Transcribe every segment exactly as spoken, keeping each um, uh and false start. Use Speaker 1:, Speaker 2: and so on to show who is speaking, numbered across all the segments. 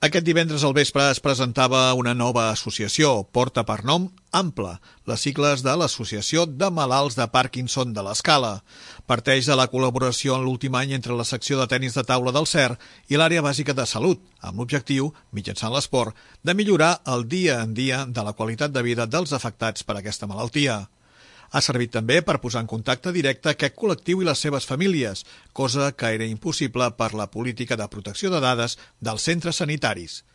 Speaker 1: Aquest divendres al vespre es presentava una nova associació, porta per nom Ample, les sigles de l'Associació de Malalts de Parkinson de l'Escala. Parteix de la col·laboració en l'últim any entre la secció de tenis de taula del C E R i l'àrea bàsica de salut, amb l'objectiu, mitjançant l'esport, de millorar el dia en dia de la qualitat de vida dels afectats per aquesta malaltia. Ha servit també per posar en contacte directe aquest col·lectiu i les seves famílies, cosa que era impossible per la política de protecció de dades dels centres sanitaris.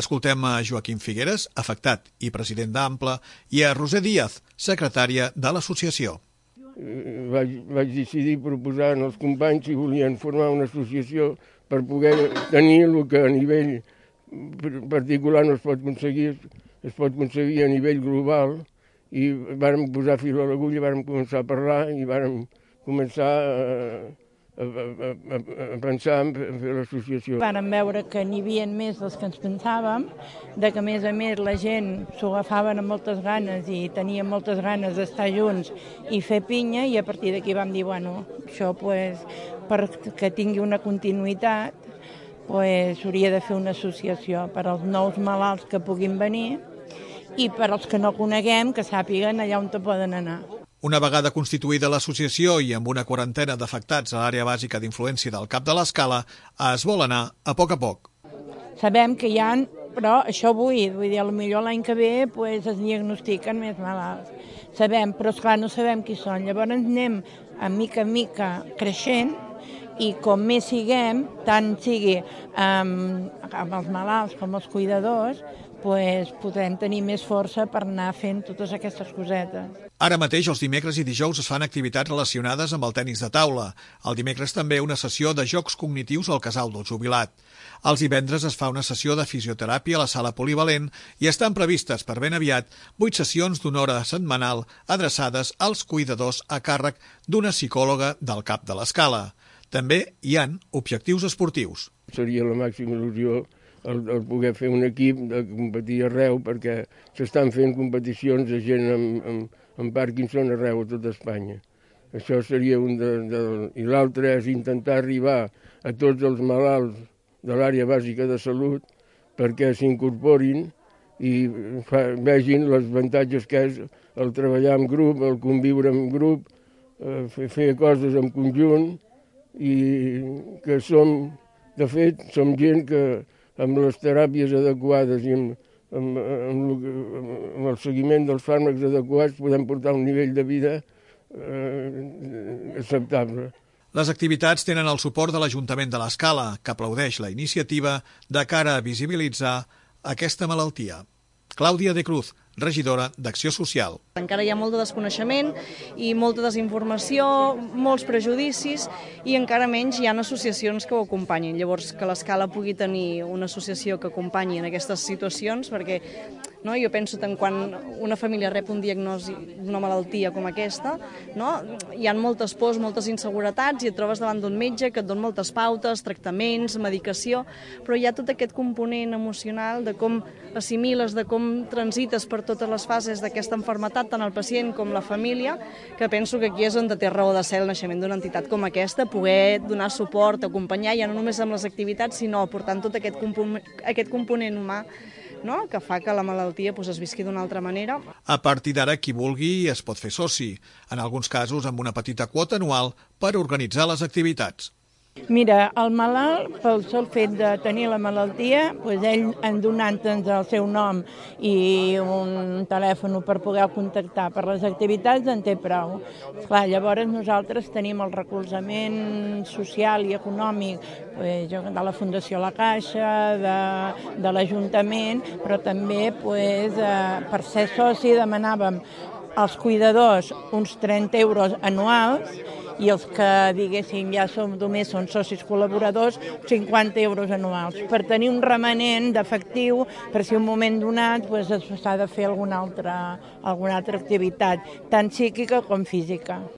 Speaker 1: Escoltem a Joaquim Figueres, afectat i president d'Ample, i a Roser Díaz, secretària de l'associació.
Speaker 2: Vaig, vaig decidir proposar als companys si volien formar una associació per poder tenir el que a nivell particular no es pot aconseguir, es pot aconseguir a nivell global, i vàrem posar fil a l'agulla, vàrem començar a parlar i vàrem començar a, a, a, a pensar en fer l'associació.
Speaker 3: Vàrem veure que n'hi havia més dels que ens pensàvem, de que a més a més la gent s'ho agafaven amb moltes ganes i tenia moltes ganes d'estar junts i fer pinya, i a partir d'aquí vam dir, bueno, això pues, perquè tingui una continuïtat, pues, hauria de fer una associació per als nous malalts que puguin venir i per als que no coneguem, que sàpiguen allà on te poden anar.
Speaker 1: Una vegada constituïda l'associació i amb una quarantena d'afectats a l'àrea bàsica d'influència del Cap de l'Escala, es vol anar a poc a poc.
Speaker 3: Sabem que hi ha, però això vull, vull dir, potser l'any que ve pues, es diagnostiquen més malalts. Sabem, però esclar, no sabem qui són. Llavors anem a mica en mica creixent i com més siguem, tant sigui um, amb els malalts com els cuidadors, pues, podem tenir més força per anar fent totes aquestes cosetes.
Speaker 1: Ara mateix, els dimecres i dijous es fan activitats relacionades amb el tenis de taula. El dimecres també una sessió de jocs cognitius al casal del jubilat. Els divendres es fa una sessió de fisioteràpia a la sala polivalent i estan previstes per ben aviat vuit sessions d'una hora setmanal adreçades als cuidadors a càrrec d'una psicòloga del Cap de l'Escala. També hi han objectius esportius.
Speaker 2: Seria la màxima il·lusió el, el poder fer un equip de competir arreu, perquè s'estan fent competicions de gent amb, amb, amb Parkinson arreu a tot Espanya. Això seria un de... de I l'altre és intentar arribar a tots els malalts de l'àrea bàsica de salut perquè s'incorporin i fa, vegin els avantatges que és el treballar en grup, el conviure en grup, eh, fer, fer coses en conjunt, i que som, de fet, som gent que amb les teràpies adequades i amb, amb, amb, amb el seguiment dels fàrmacs adequats podem portar un nivell de vida eh, acceptable.
Speaker 1: Les activitats tenen el suport de l'Ajuntament de l'Escala, que aplaudeix la iniciativa de cara a visibilitzar aquesta malaltia. Clàudia de Cruz, regidora d'Acció Social.
Speaker 4: Encara hi ha molt de desconeixement i molta desinformació, molts prejudicis i encara menys hi ha associacions que ho acompanyin. Llavors, que l'Escala pugui tenir una associació que acompanyi en aquestes situacions, perquè no, jo penso que quan una família rep un diagnòstic d'una malaltia com aquesta, no, hi ha moltes pors, moltes inseguretats i et trobes davant d'un metge que et dona moltes pautes, tractaments, medicació, però hi ha tot aquest component emocional de com assimiles, de com transites per totes les fases d'aquesta malaltia, tant el pacient com la família, que penso que aquí és on té raó de ser el naixement d'una entitat com aquesta, poder donar suport, acompanyar, ja no només amb les activitats, sinó aportant tot aquest component, aquest component humà, no? Que fa que la malaltia pues, es visqui d'una altra manera.
Speaker 1: A partir d'ara, qui vulgui es pot fer soci, en alguns casos amb una petita quota anual per organitzar les activitats.
Speaker 3: Mira, el malalt, pel sol fet de tenir la malaltia, doncs ell, en donant-nos el seu nom i un telèfon per poder contactar per les activitats, en té prou. Clar, llavors nosaltres tenim el recolzament social i econòmic doncs, de la Fundació La Caixa, de, de l'Ajuntament, però també doncs, per ser soci demanàvem als cuidadors uns trenta euros anuals i els que, diguéssim, ja som només són socis col·laboradors, cinquanta euros anuals, per tenir un remanent d'efectiu per si un moment donat s'ha de fer alguna altra, alguna altra activitat, tant psíquica com física.